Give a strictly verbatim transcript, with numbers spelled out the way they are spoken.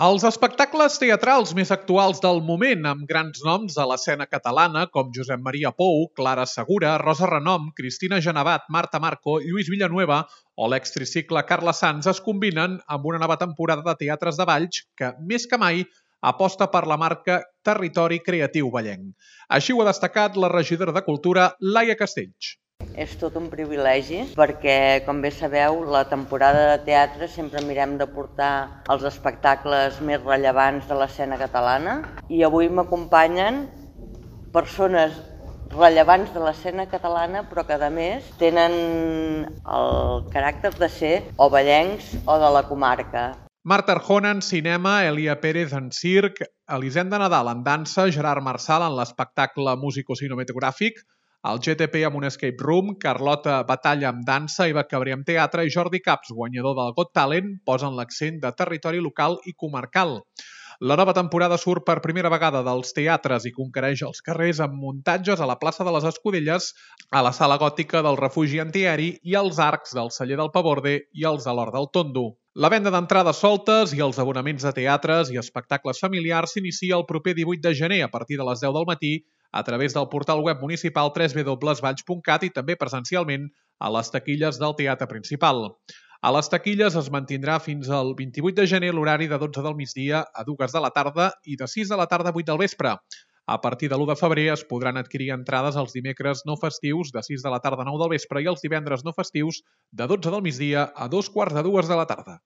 Els espectacles teatrals més actuals del moment, amb grans noms a l'escena catalana com Josep Maria Pou, Clara Segura, Rosa Renom, Cristina Genevat, Marta Marco, Lluís Villanueva o l'extricicle Carla Sanz es combinen amb una nova temporada de teatres de Valls que, més que mai, aposta per la marca Territori Creatiu Vallenc. Així ho ha destacat la regidora de Cultura, Laia Castells. És tot un privilegi perquè, com bé sabeu, la temporada de teatre sempre mirem de portar els espectacles més rellevants de l'escena catalana i avui m'acompanyen persones rellevants de l'escena catalana però que a més tenen el caràcter de ser o vallencs o de la comarca. Marta Arjona en cinema, Elia Pérez en circ, Elisenda Nadal en dansa, Gerard Marçal en l'espectacle musicocinematogràfic, el G T P amb un escape room, Carlota Batalla amb dansa, Eva Cabré amb teatre i Jordi Caps, guanyador del Got Talent, posen l'accent de territori local i comarcal. La nova temporada surt per primera vegada dels teatres i conquereix els carrers amb muntatges a la plaça de les Escudelles, a la sala gòtica del refugi antiaeri i als arcs del celler del Paborde i els de l'Hort del Tondo. La venda d'entrades soltes i els abonaments de teatres i espectacles familiars s'inicia el proper divuit de gener a partir de les deu del matí a través del portal web municipal w w w punt valls punt cat i també presencialment a les taquilles del teatre principal. A les taquilles es mantindrà fins al vint-i-vuit de gener l'horari de dotze del migdia a dues de la tarda i de sis de la tarda a vuit del vespre. A partir de l'u de febrer es podran adquirir entrades els dimecres no festius de sis de la tarda a nou del vespre i els divendres no festius de dotze del migdia a dos quarts de dues de la tarda.